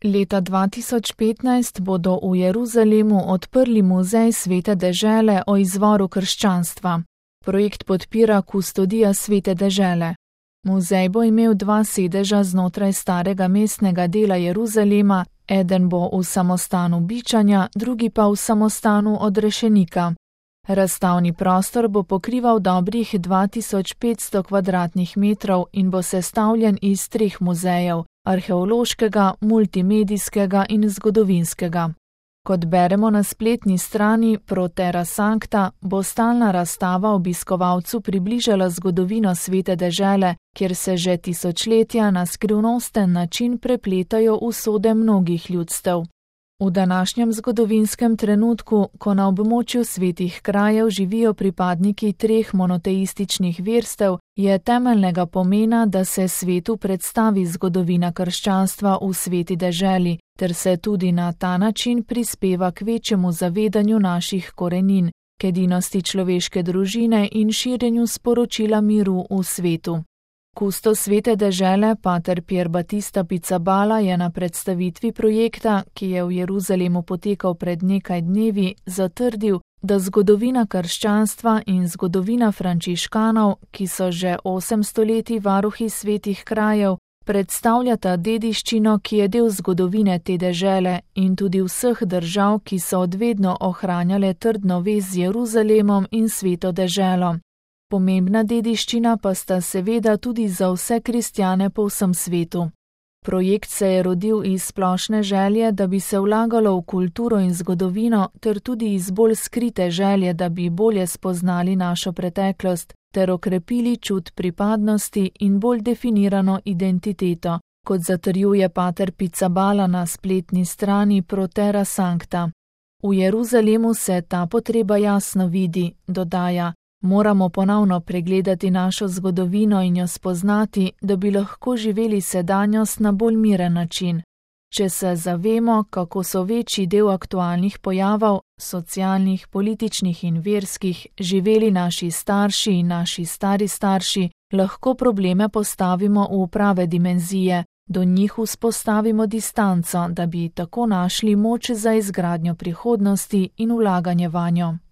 Leta 2015 bodo v Jeruzalemu odprli muzej Svete dežele o izvoru krščanstva. Projekt podpira Kustodija Svete dežele. Muzej bo imel 2 sedeža znotraj starega mestnega dela Jeruzalema, eden bo v samostanu Bičanja, drugi pa v samostanu Odrešenika. Razstavni prostor bo pokrival dobrih 2500 kvadratnih metrov in bo sestavljen iz 3 muzejev: arheološkega, multimedijskega in zgodovinskega. Kot beremo na spletni strani Pro Terra Sancta, bo stalna razstava obiskovalcu približala zgodovino Svete dežele, kjer se že tisočletja na skrivnosten način prepletajo usode mnogih ljudstev. V današnjem zgodovinskem trenutku, ko na območju svetih krajev živijo pripadniki 3 monoteističnih verstev, je temeljnega pomena, da se svetu predstavi zgodovina krščanstva v Sveti deželi, ter se tudi na ta način prispeva k večjemu zavedanju naših korenin, k edinosti človeške družine in širjenju sporočila miru v svetu. Kustos Svete dežele, pater Pier Battista Pizzaballa, je na predstavitvi projekta, ki je v Jeruzalemu potekal pred nekaj dnevi, zatrdil, da zgodovina krščanstva in zgodovina frančiškanov, ki so že 8 stoletij varuhi svetih krajev, predstavljata dediščino, ki je del zgodovine te dežele in tudi vseh držav, ki so odvedno ohranjale trdno vez z Jeruzalemom in Sveto deželo. Pomembna dediščina pa sta seveda tudi za vse kristjane po vsem svetu. Projekt se je rodil iz splošne želje, da bi se vlagalo v kulturo in zgodovino, ter tudi iz bolj skrite želje, da bi bolje spoznali našo preteklost, ter okrepili čut pripadnosti in bolj definirano identiteto, kot zatrjuje pater Pizzaballa na spletni strani Pro Terra Sancta. V Jeruzalemu se ta potreba jasno vidi, dodaja: moramo ponovno pregledati našo zgodovino in jo spoznati, da bi lahko živeli sedanjost na bolj miren način. Če se zavemo, kako so večji del aktualnih pojavov, socialnih, političnih in verskih, živeli naši starši in naši stari starši, lahko probleme postavimo v prave dimenzije, do njih vzpostavimo distanco, da bi tako našli moč za izgradnjo prihodnosti in vlaganje vanjo.